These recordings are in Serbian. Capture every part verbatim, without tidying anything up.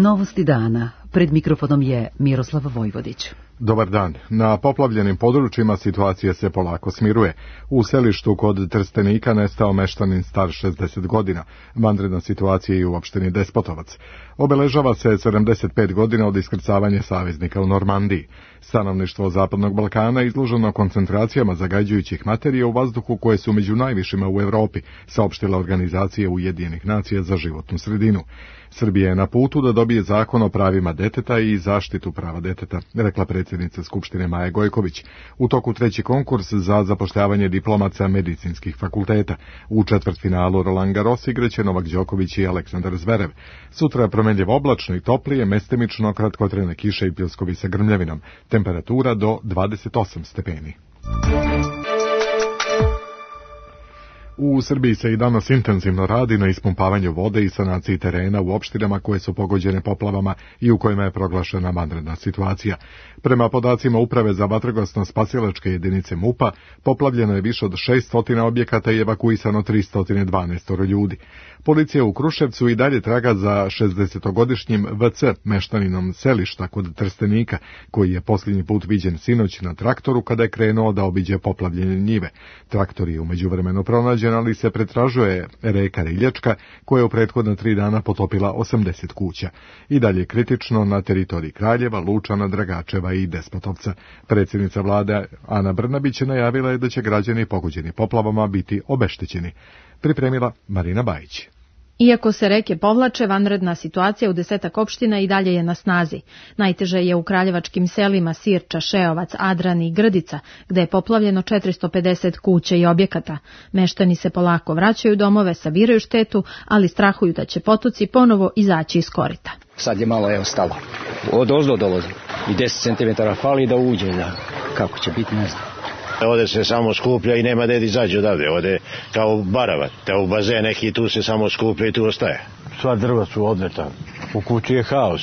Novosti dana. Pred mikrofonom je Miroslav Vojvodić. Dobar dan. Na poplavljenim područjima situacija se polako smiruje. U selištu kod Trstenika nestao meštanin star šezdeset godina. Vanredna situacija je u opštini Despotovac. Obeležava se sedamdeset pet godina od iskrcavanja saveznika u Normandiji. Stanovništvo Zapadnog Balkana izloženo koncentracijama zagađujućih materija u vazduhu koje su među najvišima u Evropi, saopštila Organizacija Ujedinjenih nacija za životnu sredinu. Srbija je na putu da dobije zakon o pravima deteta i zaštitu prava deteta, rekla predsjednica Skupštine Maja Gojković. U toku treći konkurs za zapošljavanje diplomaca medicinskih fakulteta. U četvrtfinalu Roland Garros igraće Novak Đoković i Aleksandar Zverev. Sutra je promjenljivo oblačno i toplije, mestimično kratkotrajne kiše i pljuskovi sa grmljavinom. Temperatura do dvadeset osam stepeni. U Srbiji se i danas intenzivno radi na ispumpavanju vode i sanaciji terena u opštinama koje su pogođene poplavama i u kojima je proglašena vanredna situacija. Prema podacima Uprave za vatrogasno-spasilačke jedinice MUP-a, poplavljeno je više od šesto objekata i evakuisano tristo dvanaest ljudi. Policija u Kruševcu i dalje traga za šezdesetogodišnjim V C meštaninom selišta kod Trstenika, koji je posljednji put viđen sinoć na traktoru kada je krenuo da obiđe poplavljene njive. Traktor je u međuvremenu pronađen, ali se pretražuje reka Riljačka, koja je u prethodna tri dana potopila osamdeset kuća. I dalje kritično na teritoriji Kraljeva, Lučana, Dragačeva i Despotovca. Predsjednica vlade Ana Brnabić najavila je da će građani pogođeni poplavama biti obeštećeni. Pripremila Marina Bajić. Iako se reke povlače, vanredna situacija u desetak opština i dalje je na snazi. Najteže je u kraljevačkim selima Sirča, Šeovac, Adran i Grdica, gde je poplavljeno četiristo pedeset kuća i objekata. Meštani se polako vraćaju domove, sabiraju štetu, ali strahuju da će potoci ponovo izaći iz korita. Sad je malo evo stalo. Od ozdo dolazi. I deset centimetara fali da uđe. Da. Kako će biti, ne znam. Ovdje se samo skuplja i nema gdje izađe odavde. Ovdje kao barava. Te u bazen neki tu se samo skuplja i tu ostaje. Sva drva su odleta. U kući je haos.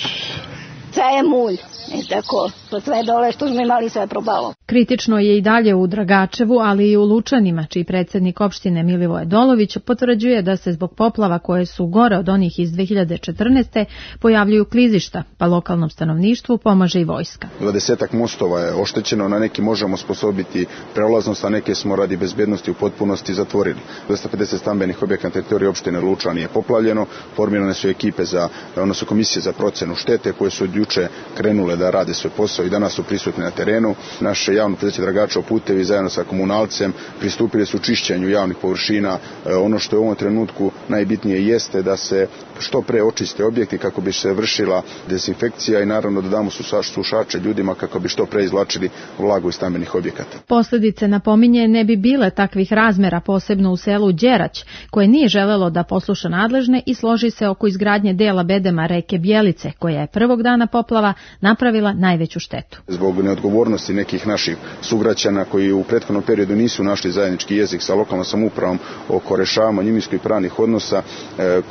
Sve je mulj. I tako, to sve dole što smo imali sve probalo. Kritično je i dalje u Dragačevu, ali i u Lučanima, čiji predsjednik opštine Milivoje Dolović potvrđuje da se zbog poplava koje su gore od onih iz dve hiljade četrnaeste. pojavljuju klizišta, pa lokalnom stanovništvu pomaže i vojska. Dvadesetak mostova je oštećeno, na neki možemo sposobiti prolaznost, a neke smo radi bezbjednosti u potpunosti zatvorili. dvesta pedeset stambenih objekata na teritoriji opštine Lučani je poplavljeno, formirane su ekipe za, odnosno komisije za procenu štete koje su od juče krenule da rade svoj posao i danas su prisutni na terenu. Naše javno preduzeće Dragačevo putevi zajedno sa komunalcem pristupili su čišćenju javnih površina. Ono što je u ovom trenutku najbitnije jeste da se što pre očiste objekti kako bi se vršila dezinfekcija i naravno da damo sušače ljudima kako bi što pre izvlačili vlagu iz stambenih objekata. Posljedice, napominje, ne bi bile takvih razmera, posebno u selu Đerać, koje nije želelo da posluša nadležne i složi se oko izgradnje dela bedema reke Bjelice, koja je prvog dana poplava napravila najveću štetu. Zbog neodgovornosti nekih naših sugrađana koji u prethodnom periodu nisu našli zajednički jezik sa lokalnom samoupravom oko rešavanja imovinskih i pravnih odnosa,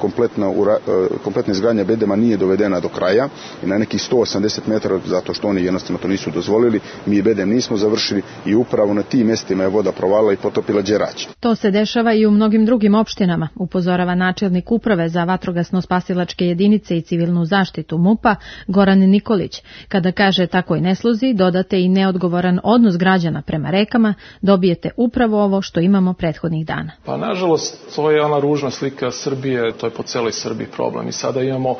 kompletna, kompletna izgradnja bedema nije dovedena do kraja i na nekih sto osamdeset metara, zato što oni jednostavno to nisu dozvolili, mi bedem nismo završili i upravo na tim mjestima je voda provalila i potopila Đerać. To se dešava i u mnogim drugim opštinama, upozorava načelnik Uprave za vatrogasno-spasilačke jedinice i civilnu zaštitu MUP-a Goran Nikolić. Kada kaže takoj nesluzi, dodate i neodgovoran odnos građana prema rekama, dobijete upravo ovo što imamo prethodnih dana. Pa nažalost, to je ona ružna slika Srbije, to je po celoj Srbiji problem. I sada imamo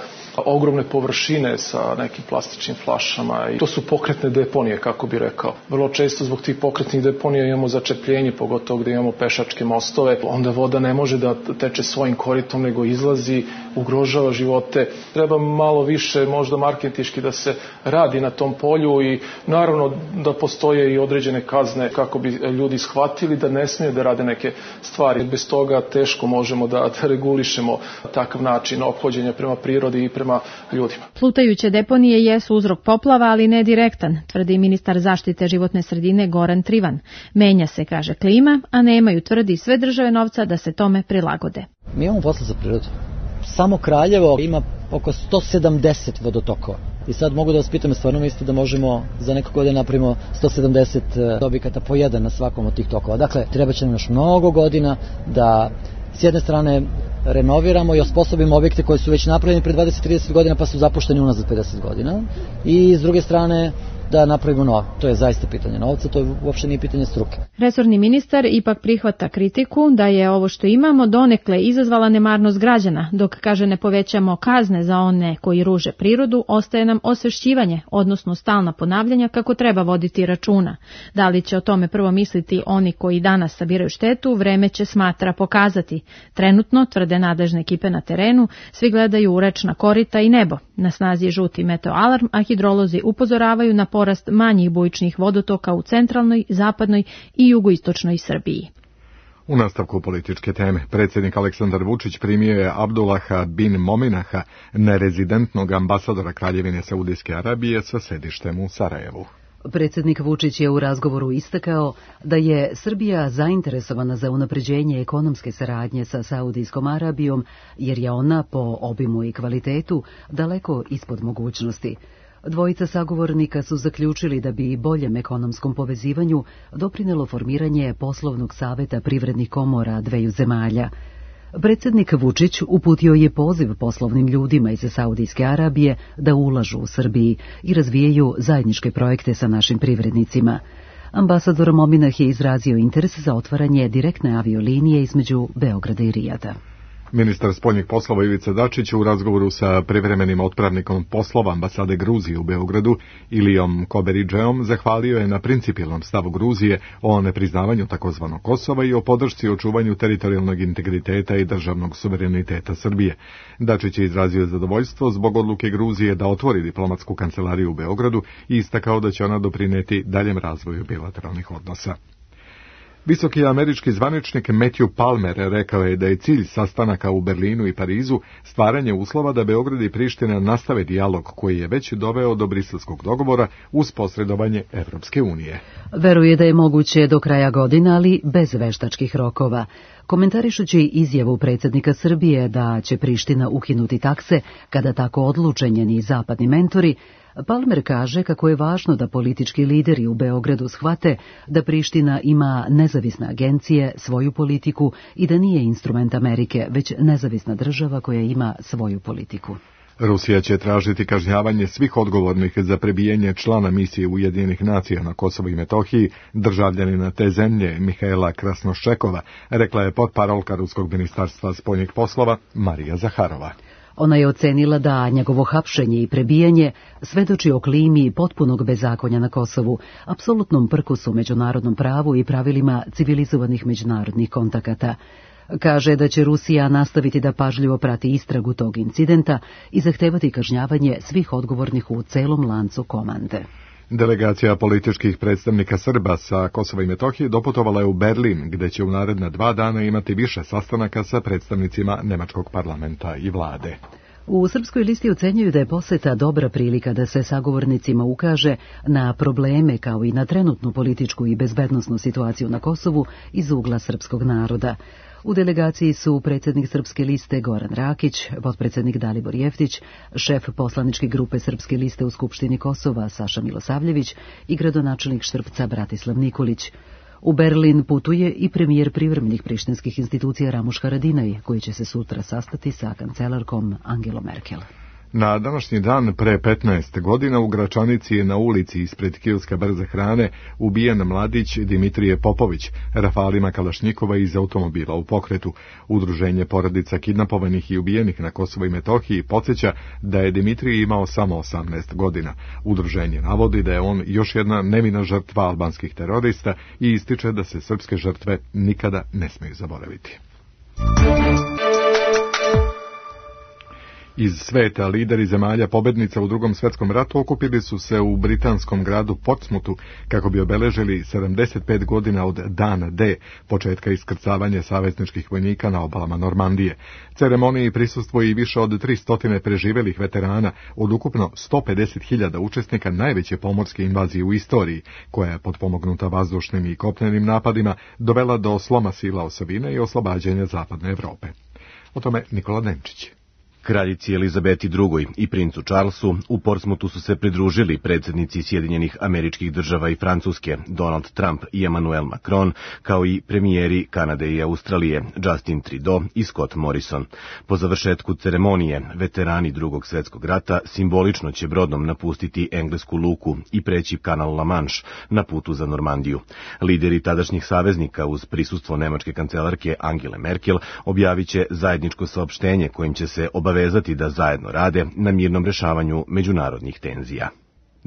ogromne površine sa nekim plastičnim flašama i to su pokretne deponije, kako bi rekao. Vrlo često zbog tih pokretnih deponija imamo začepljenje, pogotovo gdje imamo pešačke mostove. Onda voda ne može da teče svojim koritom, nego izlazi, ugrožava živote. Treba malo više možda marketinški da se radi na tom polju i naravno da postoje i određene kazne kako bi ljudi shvatili da ne smije da rade neke stvari. Bez toga teško možemo da, da regulišemo takav način ophođenja prema prirodi i prema ljudima. Plutajuće deponije jesu uzrok poplava, ali ne direktan, tvrdi ministar zaštite životne sredine Goran Trivan. Menja se, kaže, klima, a nemaju, tvrdi, sve države novca da se tome prilagode. Mi imamo posla za prirodu. Samo Kraljevo ima oko sto sedamdeset vodotokova. I sad mogu da vas pitam, stvarno mislite da možemo za neko godine napravimo sto sedamdeset objekata po jedan na svakom od tih tokova. Dakle, treba će nam još mnogo godina da s jedne strane renoviramo i osposobimo objekte koji su već napravljeni pre dvadeset do trideset godina pa su zapušteni unazad pedeset godina i s druge strane da napravimo novo. To je zaista pitanje novca, to je uopšte nije pitanje struke. Resorni ministar ipak prihvata kritiku da je ovo što imamo donekle izazvala nemarnost građana, dok kaže ne povećamo kazne za one koji ruže prirodu, ostaje nam osvešćivanje, odnosno stalna ponavljanja kako treba voditi računa. Da li će o tome prvo misliti oni koji danas sabiraju štetu, vreme će, smatra, pokazati. Trenutno, tvrde nadležne ekipe na terenu, svi gledaju u rečna korita i nebo. Na snazi je žuti meteoalarm, a hidrolozi upozoravaju na porast manjih bujičnih vodotoka u centralnoj, zapadnoj i jugoistočnoj Srbiji. U nastavku političke teme, predsjednik Aleksandar Vučić primio je Abdullaha bin Mominaha, nerezidentnog ambasadora Kraljevine Saudijske Arabije sa sedištem u Sarajevu. Predsjednik Vučić je u razgovoru istakao da je Srbija zainteresovana za unapređenje ekonomske saradnje sa Saudijskom Arabijom, jer je ona po obimu i kvalitetu daleko ispod mogućnosti. Dvojica sagovornika su zaključili da bi boljem ekonomskom povezivanju doprinelo formiranje poslovnog saveta privrednih komora dveju zemalja. Predsjednik Vučić uputio je poziv poslovnim ljudima iz Saudijske Arabije da ulažu u Srbiji i razvijaju zajedničke projekte sa našim privrednicima. Ambasador Mominah je izrazio interes za otvaranje direktne aviolinije između Beograda i Rijada. Ministar spoljnih poslova Ivica Dačić u razgovoru sa privremenim otpravnikom poslova ambasade Gruzije u Beogradu Ilijom Koberidžeom zahvalio je na principijelnom stavu Gruzije o nepriznavanju takozvanog Kosova i o podršci i očuvanju teritorijalnog integriteta i državnog suvereniteta Srbije. Dačić je izrazio zadovoljstvo zbog odluke Gruzije da otvori diplomatsku kancelariju u Beogradu i istakao da će ona doprineti daljem razvoju bilateralnih odnosa. Visoki američki zvaničnik Matthew Palmer rekao je da je cilj sastanaka u Berlinu i Parizu stvaranje uslova da Beograd i Priština nastave dijalog koji je već doveo do briselskog dogovora uz posredovanje Evropske unije. Veruje da je moguće do kraja godine, ali bez veštačkih rokova. Komentarišući izjavu predsjednika Srbije da će Priština ukinuti takse kada tako odluče njeni zapadni mentori, Palmer kaže kako je važno da politički lideri u Beogradu shvate da Priština ima nezavisne agencije, svoju politiku i da nije instrument Amerike, već nezavisna država koja ima svoju politiku. Rusija će tražiti kažnjavanje svih odgovornih za prebijanje člana misije Ujedinjenih nacija na Kosovu i Metohiji, državljanina te zemlje Mihaela Krasnošekova, rekla je potparolka Ruskog ministarstva spoljnih poslova Marija Zaharova. Ona je ocenila da njegovo hapšenje i prebijanje svedoči o klimi potpunog bezakonja na Kosovu, apsolutnom prkusu međunarodnom pravu i pravilima civilizovanih međunarodnih kontakata. Kaže da će Rusija nastaviti da pažljivo prati istragu tog incidenta i zahtevati kažnjavanje svih odgovornih u celom lancu komande. Delegacija političkih predstavnika Srba sa Kosova i Metohije doputovala je u Berlin, gde će u naredna dva dana imati više sastanaka sa predstavnicima nemačkog parlamenta i vlade. U Srpskoj listi ocenjuju da je poseta dobra prilika da se sagovornicima ukaže na probleme kao i na trenutnu političku i bezbednosnu situaciju na Kosovu iz ugla srpskog naroda. U delegaciji su predsjednik Srpske liste Goran Rakić, potpredsjednik Dalibor Jeftić, šef poslaničke grupe Srpske liste u Skupštini Kosova Saša Milosavljević i gradonačelnik Štrpca Bratislav Nikolić. U Berlin putuje i premijer privremenih prištinskih institucija Ramuš Haradinaj, koji će se sutra sastati sa kancelarkom Angelom Merkel. Na današnji dan pre petnaest godina u Gračanici je na ulici ispred kioska brze hrane ubijen mladić Dimitrije Popović, rafalima Kalašnjikova iz automobila u pokretu. Udruženje porodica kidnapovanih i ubijenih na Kosovu i Metohiji podsjeća da je Dimitrije imao samo osamnaest godina. Udruženje navodi da je on još jedna nevina žrtva albanskih terorista i ističe da se srpske žrtve nikada ne smeju zaboraviti. Iz sveta lideri zemalja pobednica u Drugom svjetskom ratu okupili su se u britanskom gradu Portsmouthu kako bi obeležili sedamdeset pet godina od dana D, početka iskrcavanja savezničkih vojnika na obalama Normandije. Ceremoniji prisustvuje i više od tristo preživelih veterana od ukupno sto pedeset hiljada učesnika najveće pomorske invazije u istoriji, koja je potpomognuta vazdušnim i kopnenim napadima dovela do sloma sila osovine i oslobađanja zapadne Evrope. O tome Nikola Denčić. Kraljici Elizabeti drugoj i princu Charlesu u Portsmouthu su se pridružili predsjednici Sjedinjenih Američkih Država i Francuske, Donald Trump i Emmanuel Macron, kao i premijeri Kanade i Australije, Justin Trudeau i Scott Morrison. Po završetku ceremonije, veterani Drugog svjetskog rata simbolično će brodom napustiti englesku luku i preći kanal La Manche na putu za Normandiju. Lideri tadašnjih saveznika uz prisustvo nemačke kancelarke Angele Merkel objavit će zajedničko saopštenje kojim će se obavezati da zajedno rade na mirnom rešavanju međunarodnih tenzija.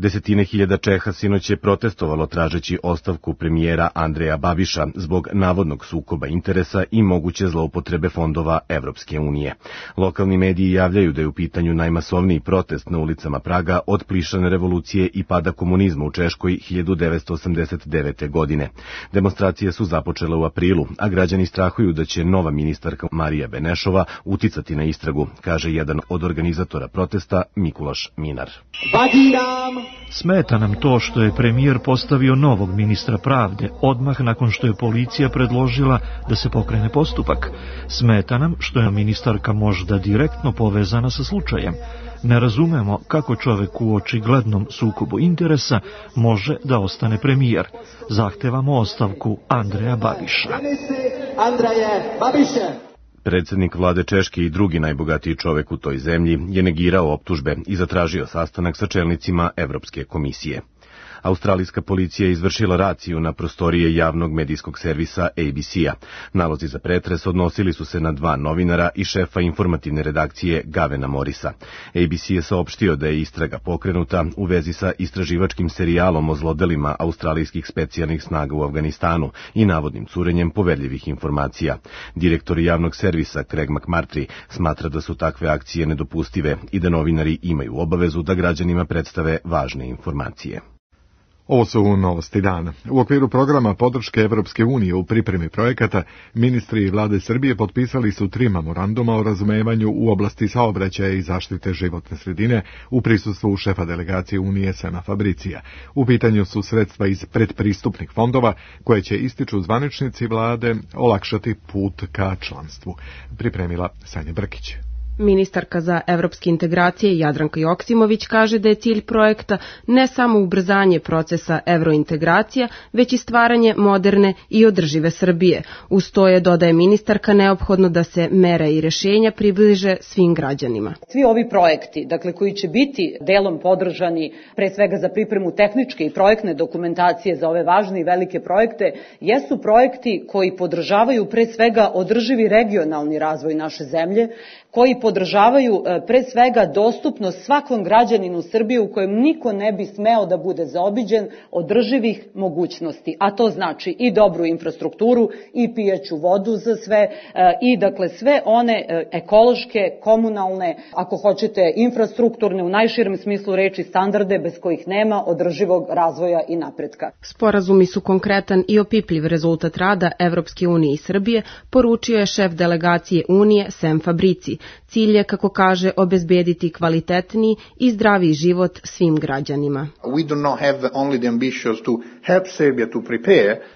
Desetine hiljada Čeha sinoć je protestovalo tražeći ostavku premijera Andreja Babiša zbog navodnog sukoba interesa i moguće zloupotrebe fondova Evropske unije. Lokalni mediji javljaju da je u pitanju najmasovniji protest na ulicama Praga od plišane revolucije i pada komunizma u Češkoj hiljadu devetsto osamdeset devete. godine. Demonstracije su započele u aprilu, a građani strahuju da će nova ministarka Marija Benešova uticati na istragu, kaže jedan od organizatora protesta Mikulaš Minar. Smeta nam to što je premijer postavio novog ministra pravde odmah nakon što je policija predložila da se pokrene postupak. Smeta nam što je ministarka možda direktno povezana sa slučajem. Ne razumemo kako čovek u očiglednom sukobu interesa može da ostane premijer. Zahtevamo ostavku Andreja Babiša. Predsjednik vlade Češke i drugi najbogatiji čovek u toj zemlji je negirao optužbe i zatražio sastanak sa čelnicima Evropske komisije. Australijska policija je izvršila raciju na prostorije javnog medijskog servisa A B C-a. Nalozi za pretres odnosili su se na dva novinara i šefa informativne redakcije Gavena Morisa. A B C je saopštio da je istraga pokrenuta u vezi sa istraživačkim serijalom o zlodelima australijskih specijalnih snaga u Afganistanu i navodnim curenjem poverljivih informacija. Direktor javnog servisa Craig McMurtry smatra da su takve akcije nedopustive i da novinari imaju obavezu da građanima predstave važne informacije. Ovo su novosti dana. U okviru programa podrške Evropske unije u pripremi projekata, ministri i vlade Srbije potpisali su tri memoranduma o razumevanju u oblasti saobraćaja i zaštite životne sredine u prisustvu šefa delegacije Unije Sema Fabricija. U pitanju su sredstva iz predpristupnih fondova koje će, ističu zvaničnici vlade, olakšati put ka članstvu. Pripremila Sanja Brkić. Ministarka za evropske integracije Jadranka Joksimović kaže da je cilj projekta ne samo ubrzanje procesa evrointegracija, već i stvaranje moderne i održive Srbije. Uz to je, dodaje ministarka, neophodno da se mere i rešenja približe svim građanima. Svi ovi projekti, dakle, koji će biti delom podržani pre svega za pripremu tehničke i projektne dokumentacije za ove važne i velike projekte, jesu projekti koji podržavaju pre svega održivi regionalni razvoj naše zemlje, koji podržavaju pre svega dostupnost svakom građaninu Srbije u kojem niko ne bi smeo da bude zaobiđen, održivih mogućnosti, a to znači i dobru infrastrukturu i pijaću vodu za sve i dakle sve one ekološke, komunalne, ako hoćete infrastrukturne u najširem smislu reči standarde bez kojih nema održivog razvoja i napretka. Sporazumi su konkretan i opipljiv rezultat rada Evropske unije i Srbije, poručio je šef delegacije Unije Sem Fabrici. Cilj je, kako kaže, obezbediti kvalitetniji i zdraviji život svim građanima.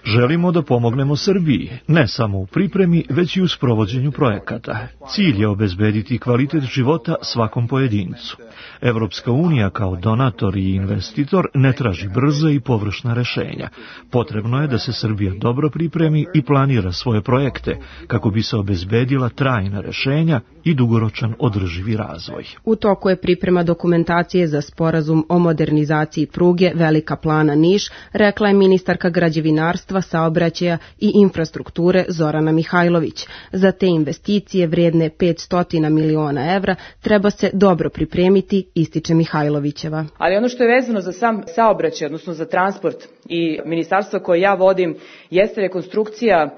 Želimo da pomognemo Srbiji, ne samo u pripremi, već i u sprovođenju projekata. Cilj je obezbediti kvalitet života svakom pojedincu. Evropska unija kao donator i investitor ne traži brza i površna rešenja. Potrebno je da se Srbija dobro pripremi i planira svoje projekte kako bi se obezbedila trajna rešenja i dugoročan održivi razvoj. U toku je priprema dokumentacije za sporazum o modernizaciji pruge Velika Plana-Niš, rekla je ministarka građevinarstva, saobraćaja i infrastrukture Zorana Mihajlović. Za te investicije vrijedne petsto miliona evra treba se dobro pripremiti, ističe Mihajlovićeva. Ali ono što je vezano za sam saobraćaj, odnosno za transport i ministarstvo koje ja vodim, jeste rekonstrukcija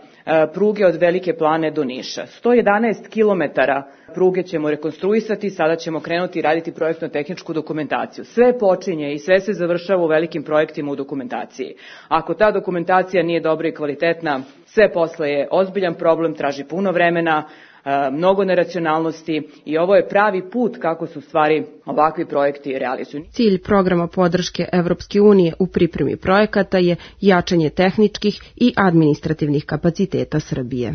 pruge od Velike Plane do Niša. sto jedanaest kilometara pruge ćemo rekonstruisati, sada ćemo krenuti raditi projektno-tehničku dokumentaciju. Sve počinje i sve se završava u velikim projektima u dokumentaciji. Ako ta dokumentacija nije dobra i kvalitetna, sve posle je ozbiljan problem, traži puno vremena, mnogo neracionalnosti i ovo je pravi put kako su stvari ovakvi projekti realizuju. Cilj programa podrške Evropske unije u pripremi projekata je jačanje tehničkih i administrativnih kapaciteta Srbije.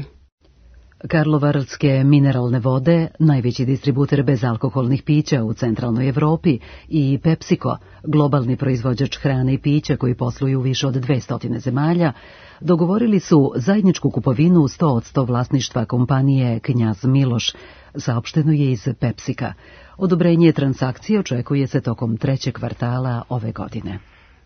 Karlovarske mineralne vode, najveći distributer bezalkoholnih pića u centralnoj Evropi, i PepsiCo, globalni proizvođač hrane i pića koji posluju u više od dvesta zemalja, dogovorili su zajedničku kupovinu sto posto vlasništva kompanije Knjaz Miloš, saopšteno je iz PepsiCa. Odobrenje transakcije očekuje se tokom trećeg kvartala ove godine.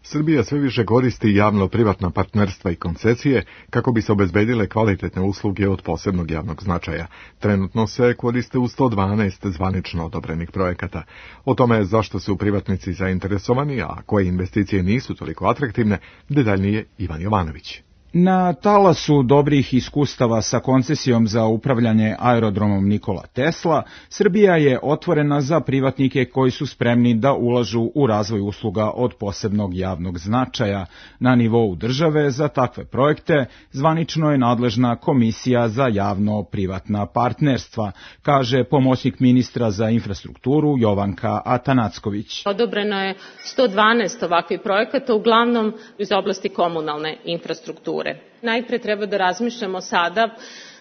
Srbija sve više koristi javno-privatna partnerstva i koncesije kako bi se obezbedile kvalitetne usluge od posebnog javnog značaja. Trenutno se koriste u sto dvanaest zvanično odobrenih projekata. O tome zašto su privatnici zainteresovani, a koje investicije nisu toliko atraktivne, detaljnije Ivan Jovanović. Na talasu dobrih iskustava sa koncesijom za upravljanje aerodromom Nikola Tesla, Srbija je otvorena za privatnike koji su spremni da ulažu u razvoj usluga od posebnog javnog značaja. Na nivou države za takve projekte zvanično je nadležna Komisija za javno-privatna partnerstva, kaže pomoćnik ministra za infrastrukturu Jovanka Atanacković. Odobreno je sto dvanaest ovakvih projekata, uglavnom iz oblasti komunalne infrastrukture. Najpre treba da razmišljamo sada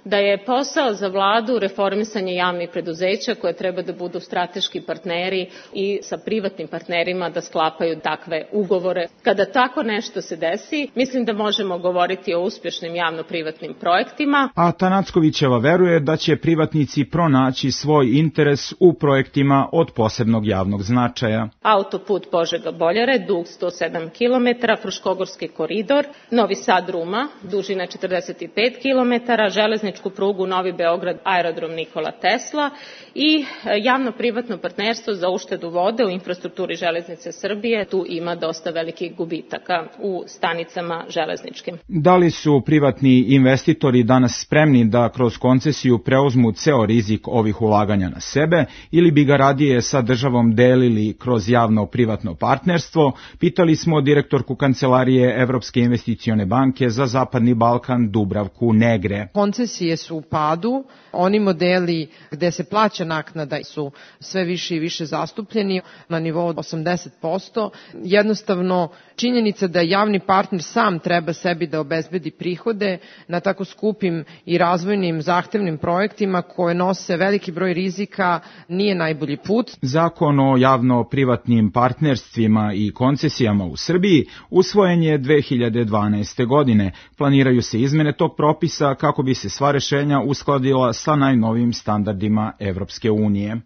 da je posao za vladu reformisanje javnih preduzeća koje treba da budu strateški partneri i sa privatnim partnerima da sklapaju takve ugovore. Kada tako nešto se desi, mislim da možemo govoriti o uspješnim javno-privatnim projektima. A Tanackovićeva veruje da će privatnici pronaći svoj interes u projektima od posebnog javnog značaja. Autoput Požega-Boljare, dug sto sedam kilometara, Fruškogorski koridor, Novi Sad-Ruma, dužina četrdeset pet kilometara, železnički prugu Novi Beograd, aerodrom Nikola Tesla i javno-privatno partnerstvo za uštedu vode u infrastrukturi železnice Srbije. Tu ima dosta velikih gubitaka u stanicama železničkim. Da li su privatni investitori danas spremni da kroz koncesiju preuzmu ceo rizik ovih ulaganja na sebe ili bi ga radije sa državom delili kroz javno-privatno partnerstvo? Pitali smo direktorku Kancelarije Evropske investicione banke za Zapadni Balkan Dubravku Negre. Koncesije su u padu, oni modeli gde se plaća naknada su sve više i više zastupljeni na nivou osamdeset posto. Jednostavno, činjenica da javni partner sam treba sebi da obezbedi prihode na tako skupim i razvojnim zahtevnim projektima koje nose veliki broj rizika nije najbolji put. Zakon o javno-privatnim partnerstvima i koncesijama u Srbiji usvojen je dve hiljade dvanaeste. godine. Planiraju se izmene tog propisa kako bi se sva rešenja uskladila sa najnovijim standardima Evropske unije.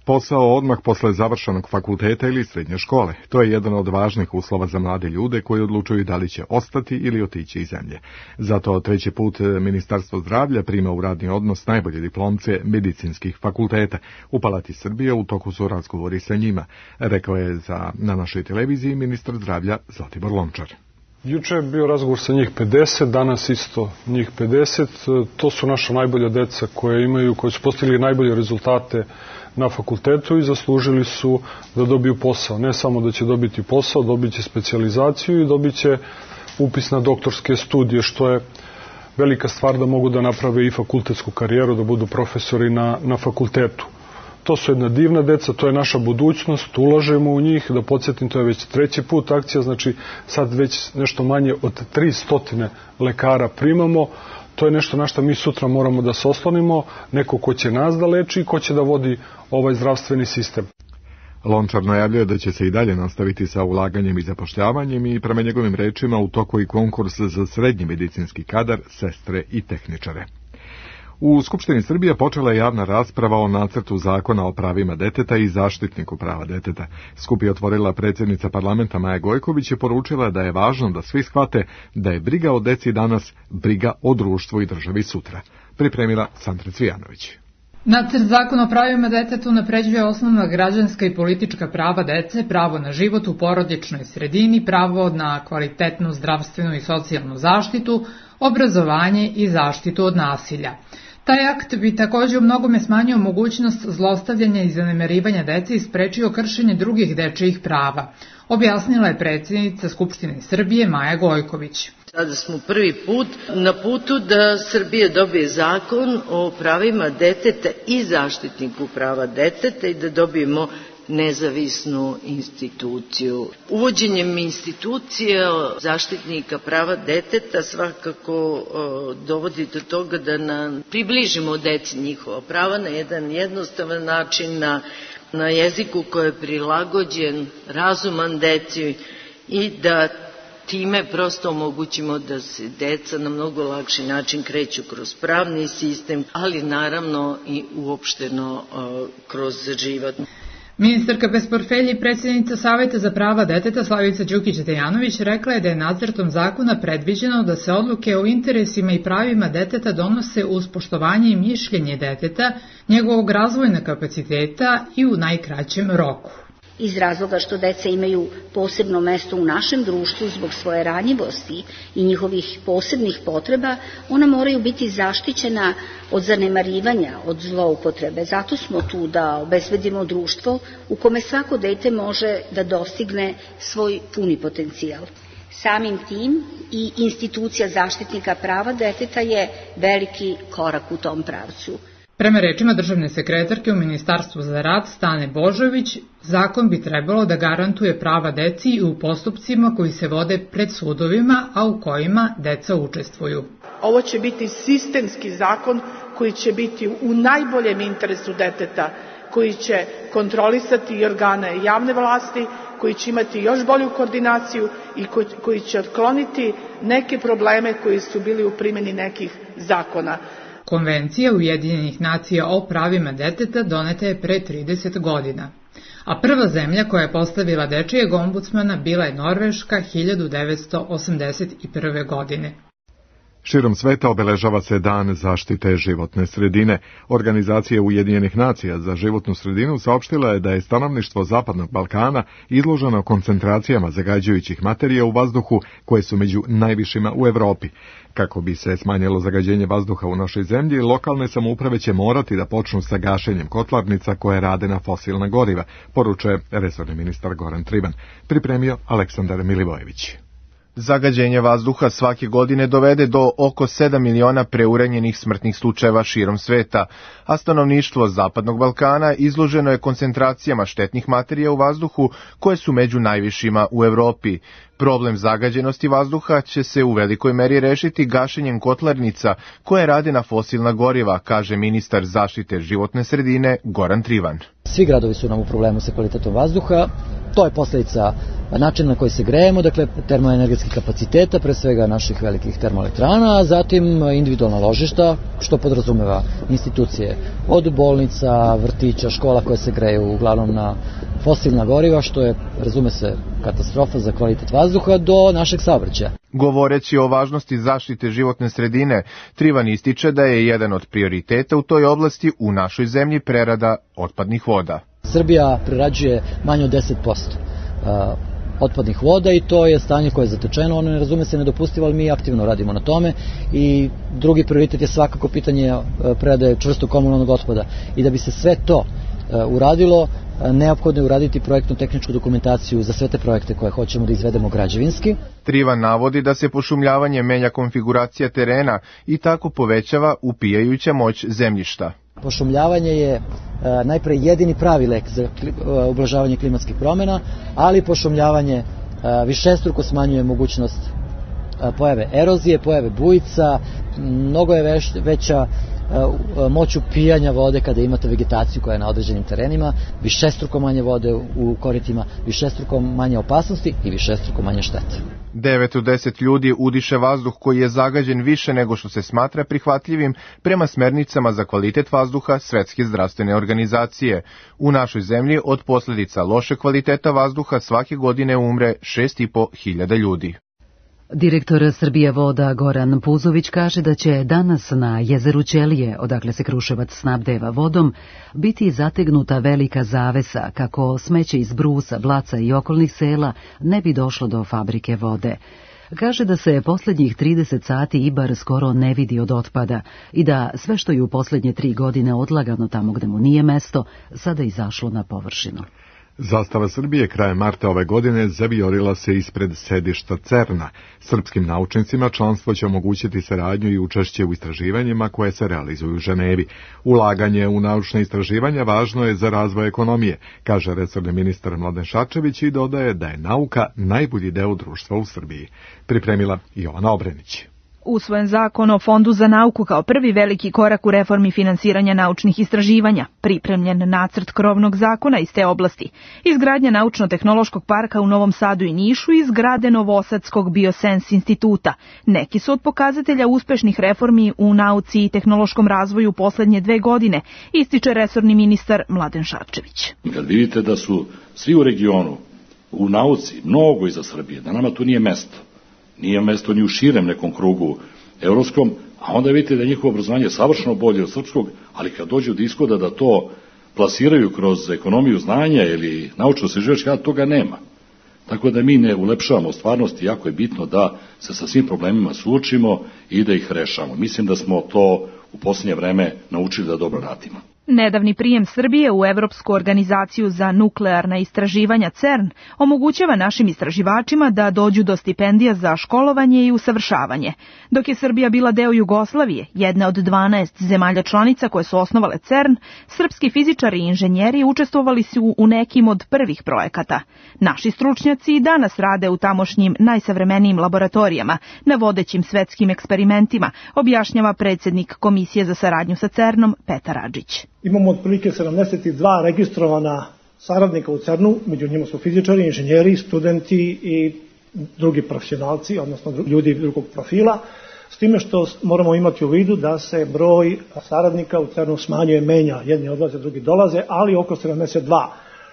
Posao odmah posle završenog fakulteta ili srednje škole. To je jedan od važnih uslova za mlade ljude koji odlučuju da li će ostati ili otići iz zemlje. Zato treći put Ministarstvo zdravlja prima u radni odnos najbolje diplomce medicinskih fakulteta. U Palati Srbije u toku su razgovori sa njima, rekao je za, na našoj televiziji ministar zdravlja Zlatibor Lončar. Juče je bio razgovor sa njih pedeset, danas isto njih pedeset. To su naša najbolja deca koje imaju, koji su postigli najbolje rezultate na fakultetu i zaslužili su da dobiju posao. Ne samo da će dobiti posao, dobit će specijalizaciju i dobit će upis na doktorske studije, što je velika stvar da mogu da naprave i fakultetsku karijeru, da budu profesori na, na fakultetu. To su jedna divna deca, to je naša budućnost, ulažemo u njih, da podsjetim, to je već treći put akcija, znači sad već nešto manje od tristo lekara primamo. To je nešto na što mi sutra moramo da se oslonimo, neko ko će nas da leči i ko će da vodi ovaj zdravstveni sistem. Lončar najavljuje da će se i dalje nastaviti sa ulaganjem i zapošljavanjem i prema njegovim rečima u toku i konkurs za srednji medicinski kadar, sestre i tehničare. U Skupštini Srbije počela je javna rasprava o nacrtu zakona o pravima deteta i zaštitniku prava deteta. Skup je otvorila predsjednica parlamenta Maja Gojković i poručila da je važno da svi shvate da je briga o deci danas briga o društvu i državi sutra. Pripremila Sandra Cvijanović. Nacrt zakona o pravima deteta unapređuje osnovna građanska i politička prava dece, pravo na život u porodičnoj sredini, pravo na kvalitetnu zdravstvenu i socijalnu zaštitu, obrazovanje i zaštitu od nasilja. Taj akt bi također u mnogome smanjio mogućnost zlostavljanja i zanemarivanja dece i sprečio kršenje drugih dečijih prava, objasnila je predsjednica Skupštine Srbije Maja Gojković. Sada smo prvi put na putu da Srbija dobije zakon o pravima deteta i zaštitniku prava deteta i da dobijemo nezavisnu instituciju. Uvođenjem institucije zaštitnika prava deteta svakako dovodi do toga da nam približimo deci njihova prava na jedan jednostavan način, na, na jeziku koji je prilagođen, razuman deci i da time prosto omogućimo da se deca na mnogo lakši način kreću kroz pravni sistem, ali naravno i uopšteno kroz život. Ministarka bez portfelja i predsjednica Saveta za prava deteta Slavica Đukić-Dejanović rekla je da je nacrtom zakona predviđeno da se odluke o interesima i pravima deteta donose uz poštovanje i mišljenje deteta, njegovog razvojnog kapaciteta i u najkraćem roku. Iz razloga što deca imaju posebno mesto u našem društvu zbog svoje ranjivosti i njihovih posebnih potreba, ona moraju biti zaštićena od zanemarivanja, od zloupotrebe. Zato smo tu da obezbedimo društvo u kome svako dete može da dostigne svoj puni potencijal. Samim tim i institucija zaštitnika prava deteta je veliki korak u tom pravcu. Prema rečima državne sekretarke u Ministarstvu za rad Stane Božović, zakon bi trebalo da garantuje prava deci i u postupcima koji se vode pred sudovima, a u kojima deca učestvuju. Ovo će biti sistemski zakon koji će biti u najboljem interesu deteta, koji će kontrolisati i organe javne vlasti, koji će imati još bolju koordinaciju i koji, koji će otkloniti neke probleme koji su bili u primjeni nekih zakona. Konvencija Ujedinjenih nacija o pravima deteta doneta je pre trideset godina, a prva zemlja koja je postavila dečijeg ombudsmana bila je Norveška hiljadu devetsto osamdeset prve. godine. Širom sveta obeležava se Dan zaštite životne sredine. Organizacija Ujedinjenih nacija za životnu sredinu saopštila je da je stanovništvo Zapadnog Balkana izloženo koncentracijama zagađujućih materija u vazduhu koje su među najvišima u Evropi. Kako bi se smanjilo zagađenje vazduha u našoj zemlji, lokalne samouprave će morati da počnu sa gašenjem kotlarnica koje rade na fosilna goriva, poručuje resorni ministar Goran Trivan. Pripremio Aleksandar Milivojević. Zagađenje vazduha svake godine dovede do oko sedam miliona preuranjenih smrtnih slučajeva širom sveta, a stanovništvo Zapadnog Balkana izloženo je koncentracijama štetnih materija u vazduhu koje su među najvišima u Evropi. Problem zagađenosti vazduha će se u velikoj meri rešiti gašenjem kotlarnica koje rade na fosilna goriva, kaže ministar zaštite životne sredine Goran Trivan. Svi gradovi su nam u problemu sa kvalitetom vazduha. To je posljedica načina na koji se grejemo, dakle termoenergetskih kapaciteta, pre svega naših velikih termoelektrana, a zatim individualna ložišta, što podrazumeva institucije od bolnica, vrtića, škola koje se greju uglavnom na fosilna goriva, što je, razume se, katastrofa za kvalitet vazduha, do našeg saobraćaja. Govoreći o važnosti zaštite životne sredine, Trivan ističe da je jedan od prioriteta u toj oblasti u našoj zemlji prerada otpadnih voda. Srbija prerađuje manje od deset posto otpadnih voda i to je stanje koje je zatečeno, ono ne razume se nedopustivo, ali mi aktivno radimo na tome i drugi prioritet je svakako pitanje predaje čvrstog komunalnog otpada i da bi se sve to uradilo, neophodno je uraditi projektno-tehničku dokumentaciju za sve te projekte koje hoćemo da izvedemo građevinski. Trivan navodi da se pošumljavanje menja konfiguracija terena i tako povećava upijajuća moć zemljišta. Pošumljavanje je najpre jedini pravi lek za ublažavanje klimatskih promjena, ali pošumljavanje višestruko smanjuje mogućnost pojave erozije, pojave bujica, mnogo je veća moć upijanja vode kada imate vegetaciju koja je na određenim terenima, višestruko manje vode u koritima, višestruko manje opasnosti i višestruko manje štete. devet od deset ljudi udiše vazduh koji je zagađen više nego što se smatra prihvatljivim prema smernicama za kvalitet vazduha Svetske zdravstvene organizacije. U našoj zemlji od posljedica loše kvaliteta vazduha svake godine umre šest i po hiljada ljudi. Direktor Srbije voda Goran Puzović kaže da će danas na jezeru Ćelije, odakle se Kruševac snabdeva vodom, biti zategnuta velika zavesa kako smeće iz Brusa, Blaca i okolnih sela ne bi došlo do fabrike vode. Kaže da se posljednjih trideset sati Ibar skoro ne vidi od otpada i da sve što je u posljednje tri godine odlagano tamo gde mu nije mesto, sada izašlo na površinu. Zastava Srbije krajem marta ove godine zavijorila se ispred sedišta CERN-a. Srpskim naučnicima članstvo će omogućiti saradnju i učešće u istraživanjima koje se realizuju u Ženevi. Ulaganje u naučne istraživanja važno je za razvoj ekonomije, kaže resorni ministar Mladen Šarčević i dodaje da je nauka najbolji deo društva u Srbiji. Pripremila Jovana Obrenić. Usvojen zakon o Fondu za nauku kao prvi veliki korak u reformi finansiranja naučnih istraživanja, pripremljen nacrt krovnog zakona iz te oblasti, izgradnja naučno-tehnološkog parka u Novom Sadu i Nišu i zgrade Novosadskog Biosens instituta. Neki su od pokazatelja uspešnih reformi u nauci i tehnološkom razvoju poslednje dve godine, ističe resorni ministar Mladen Šarčević. Kad vidite da su svi u regionu, u nauci, mnogo iza Srbije, da nama tu nije mesto, nije mesto ni u širem nekom krugu evropskom, a onda vidite da je njihovo obrazovanje savršeno bolje od srpskog, ali kad dođu do ishoda da to plasiraju kroz ekonomiju znanja ili naučno-istraživački rad, toga nema. Tako da mi ne ulepšavamo stvarnosti, jako je bitno da se sa svim problemima suočimo i da ih rešamo. Mislim da smo to u posljednje vreme naučili da dobro radimo. Nedavni prijem Srbije u Evropsku organizaciju za nuklearna istraživanja CERN omogućava našim istraživačima da dođu do stipendija za školovanje i usavršavanje. Dok je Srbija bila deo Jugoslavije, jedna od dvanaest zemalja članica koje su osnovale CERN, srpski fizičari i inženjeri učestvovali su u nekim od prvih projekata. Naši stručnjaci i danas rade u tamošnjim najsavremenijim laboratorijama, na vodećim svetskim eksperimentima, objašnjava predsjednik Komisije za saradnju sa CERN-om Petar Adžić. Imamo otprilike sedamdeset dva registrovana saradnika u CERN-u, među njima su fizičari, inženjeri, studenti i drugi profesionalci, odnosno ljudi drugog profila, s time što moramo imati u vidu da se broj saradnika u CERN-u smanjuje, menja, jedni odlaze, drugi dolaze, ali oko sedamdeset dva.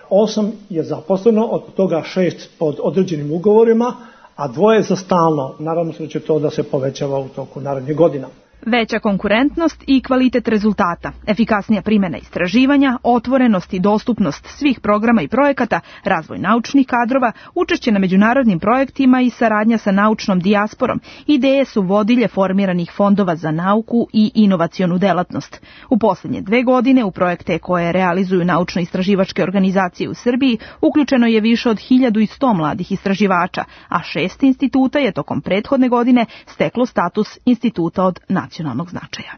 Osam je zaposleno, od toga šest pod određenim ugovorima, a dvoje za stalno. Naravno se će to da se povećava u toku narednih godina. Veća konkurentnost i kvalitet rezultata, efikasnija primjena istraživanja, otvorenost i dostupnost svih programa i projekata, razvoj naučnih kadrova, učešće na međunarodnim projektima i saradnja sa naučnom dijasporom, ideje su vodilje formiranih fondova za nauku i inovacionu delatnost. U posljednje dve godine u projekte koje realizuju naučno-istraživačke organizacije u Srbiji uključeno je više od hiljadu sto mladih istraživača, a šest instituta je tokom prethodne godine steklo status instituta od nacionalnog značaja.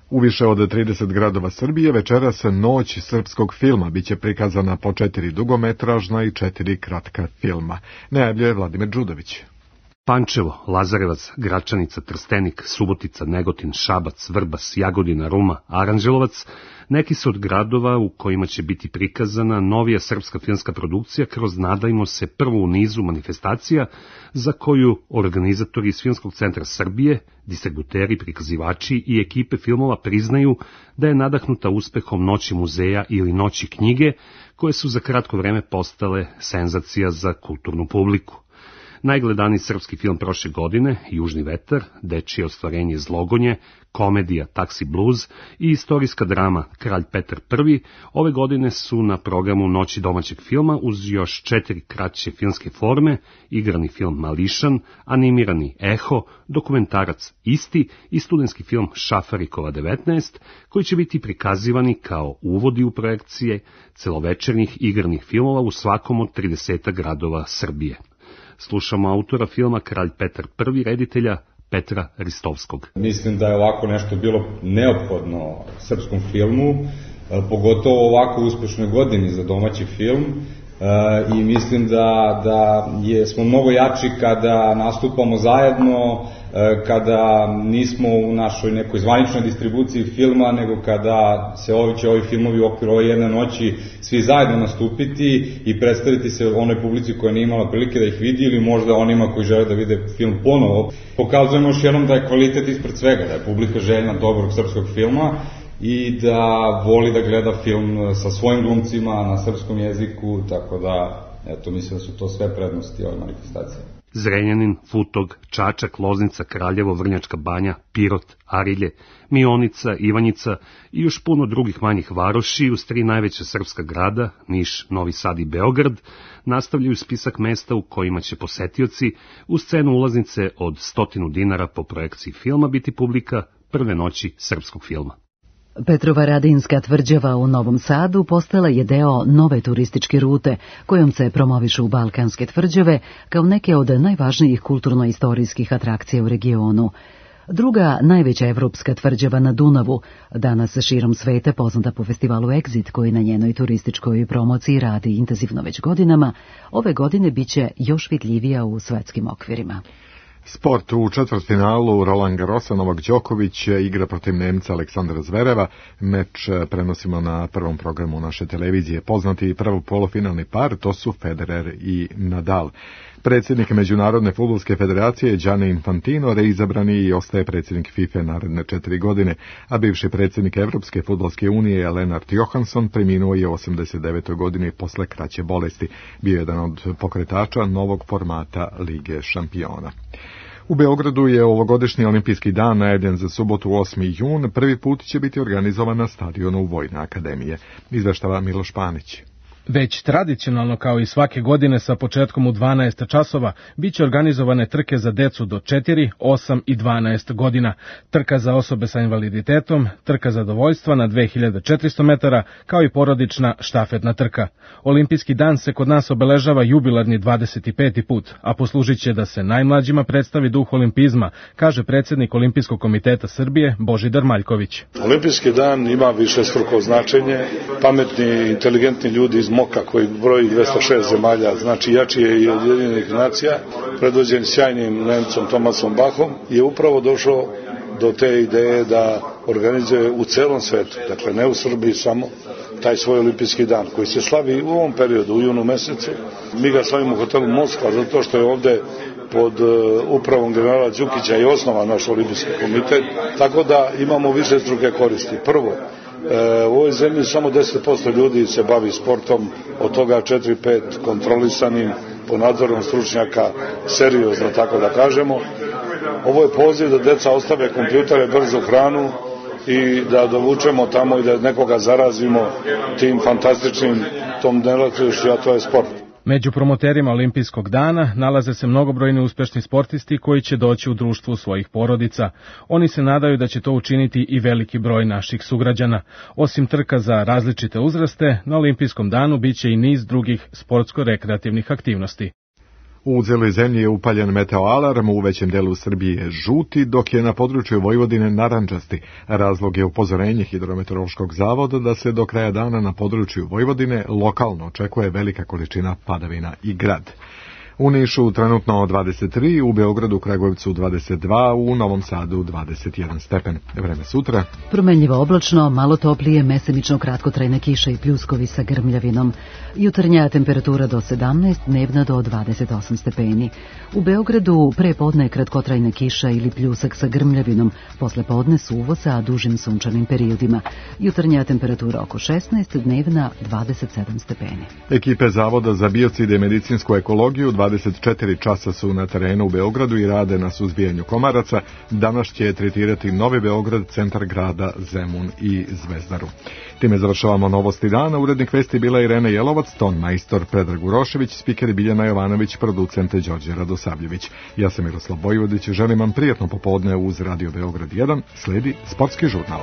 U više od trideset gradova Srbije večeras Noć srpskog filma biće prikazana po četiri dugometražna i četiri kratka filma. Najavljuje Vladimir Đudović. Pančevo, Lazarevac, Gračanica, Trstenik, Subotica, Negotin, Šabac, Vrbas, Jagodina, Ruma, Aranđelovac, neki su od gradova u kojima će biti prikazana novija srpska filmska produkcija kroz, nadajmo se, prvu u nizu manifestacija za koju organizatori iz Filmskog centra Srbije, distributeri, prikazivači i ekipe filmova priznaju da je nadahnuta uspehom Noći muzeja ili Noći knjige, koje su za kratko vreme postale senzacija za kulturnu publiku. Najgledaniji srpski film prošle godine, Južni vetar, dečije ostvarenje Zlogonje, komedija Taksi Blues i istorijska drama Kralj Petar Prvi, ove godine su na programu Noći domaćeg filma uz još četiri kraće filmske forme, igrani film Mališan, animirani Eho, dokumentarac Isti i studentski film Šafarikova devetnaest, koji će biti prikazivani kao uvodi u projekcije celovečernjih igranih filmova u svakom od trideset gradova Srbije. Slušamo autora filma Kralj Petar Prvi, reditelja Petra Ristovskog. Mislim da je ovako nešto bilo neophodno srpskom filmu, pogotovo u ovako uspešnoj godini za domaći film, i mislim da, da je, smo mnogo jači kada nastupamo zajedno, kada nismo u našoj nekoj zvaničnoj distribuciji filma, nego kada se ovi, će ovi filmovi u okviru ove jedne noći svi zajedno nastupiti i predstaviti se onoj publici koja nije imala prilike da ih vidi ili možda onima koji žele da vide film ponovo. Pokazujemo još jednom da je kvalitet ispred svega, da je publika željna dobrog srpskog filma i da voli da gleda film sa svojim glumcima na srpskom jeziku, tako da, eto, mislim da su to sve prednosti ove manifestacije. Zrenjanin, Futog, Čačak, Loznica, Kraljevo, Vrnjačka Banja, Pirot, Arilje, Mionica, Ivanjica i još puno drugih manjih varoši uz tri najveća srpska grada, Niš, Novi Sad i Beograd, nastavljaju spisak mesta u kojima će posetioci u scenu ulaznice od stotinu dinara po projekciji filma biti publika prve noći srpskog filma. Petrovaradinska tvrđava u Novom Sadu postala je deo nove turističke rute kojom se promovišu balkanske tvrđave kao neke od najvažnijih kulturno-istorijskih atrakcija u regionu. Druga najveća evropska tvrđava na Dunavu, danas širom sveta poznata po festivalu Exit koji na njenoj turističkoj promociji radi intenzivno već godinama, ove godine biće još vidljivija u svetskim okvirima. Sport u četvrtfinalu Roland Garrosa Novak Đoković igra protiv Nemca Aleksandra Zvereva. Meč prenosimo na prvom programu naše televizije. Poznati prvo polufinalni par, to su Federer i Nadal. Predsjednik Međunarodne fudbalske federacije Gianni Infantino reizabrani i ostaje predsjednik FIFA naredne četiri godine, a bivši predsjednik Evropske fudbalske unije Lennart Johansson preminuo je u osamdeset devetoj godini posle kraće bolesti. Bio je jedan od pokretača novog formata Lige šampiona. U Beogradu je ovogodišnji olimpijski dan najavljen za subotu osmi jun. Prvi put će biti organizovan na stadionu Vojne akademije. Izveštava Miloš Panić. Već tradicionalno kao i svake godine sa početkom u dvanaest časova biće organizovane trke za decu do četiri, osam i dvanaest godina, trka za osobe sa invaliditetom, trka zadovoljstva na dve hiljade četiristo metara, kao i porodična štafetna trka. Olimpijski dan se kod nas obeležava jubilarni dvadeset peti put, a poslužit će da se najmlađima predstavi duh olimpizma, kaže predsjednik Olimpijskog komiteta Srbije Božidar Maljković. Olimpijski dan ima višestruko značenje, pametni, inteligentni ljudi iz Moka koji broji dvesta šest zemalja, znači jači je i od Ujedinjenih nacija, predvođen sjajnim Nemcom Tomasom Bachom, je upravo došao do te ideje da organizuje u celom svetu, dakle ne u Srbiji samo, taj svoj olimpijski dan koji se slavi u ovom periodu, u junu mesecu. Mi ga slavimo u hotelu Moskva zato što je ovde pod upravom generala Đukića i osnova naš olimpijski komitet, tako da imamo više struke koristi. Prvo, u ovoj zemlji samo deset posto ljudi se bavi sportom, od toga četiri pet kontrolisanim po nadzorom stručnjaka, seriozno tako da kažemo. Ovo je poziv da deca ostave kompjutere, brzu hranu i da dovučemo tamo i da nekoga zarazimo tim fantastičnim tom delatnošću, a to je sport. Među promoterima Olimpijskog dana nalaze se mnogobrojni uspešni sportisti koji će doći u društvu svojih porodica. Oni se nadaju da će to učiniti i veliki broj naših sugrađana. Osim trka za različite uzraste, na Olimpijskom danu biće i niz drugih sportsko-rekreativnih aktivnosti. U cijeloj zemlji je upaljen meteoalarm, u većem delu Srbije žuti, dok je na području Vojvodine narandžasti. Razlog je upozorenje Hidrometeorološkog zavoda da se do kraja dana na području Vojvodine lokalno očekuje velika količina padavina i grad. U Nišu trenutno dvadeset tri, u Beogradu, Kragujevcu dvadeset dva, u Novom Sadu dvadeset jedan stepen. Vreme sutra. Promenljivo oblačno, malo toplije, mesemično kratkotrajne kiše i pljuskovi sa grmljavinom. Jutarnja temperatura do sedamnaest, dnevna do dvadeset osam stepeni. U Beogradu pre podne kratkotrajne kiša ili pljusak sa grmljavinom, posle podne suvo sa dužim sunčanim periodima. Jutarnja temperatura oko šesnaest, dnevna dvadeset sedam stepeni. Ekipe Zavoda za biocide i medicinsku ekologiju dvadeset četiri časa su na terenu u Beogradu i rade na suzbijanju komaraca. Danas će tretirati Novi Beograd, centar grada, Zemun i Zvezdaru. Time završavamo novosti dana. Urednik vesti bila Irena Jelovac, ton majstor Predrag Urošević, spiker Biljana Jovanović, producent Đorđe Radosavljević. Ja sam Miroslav Bojvodić, želim vam prijatno popodne uz Radio Beograd jedan, sledi sportski žurnal.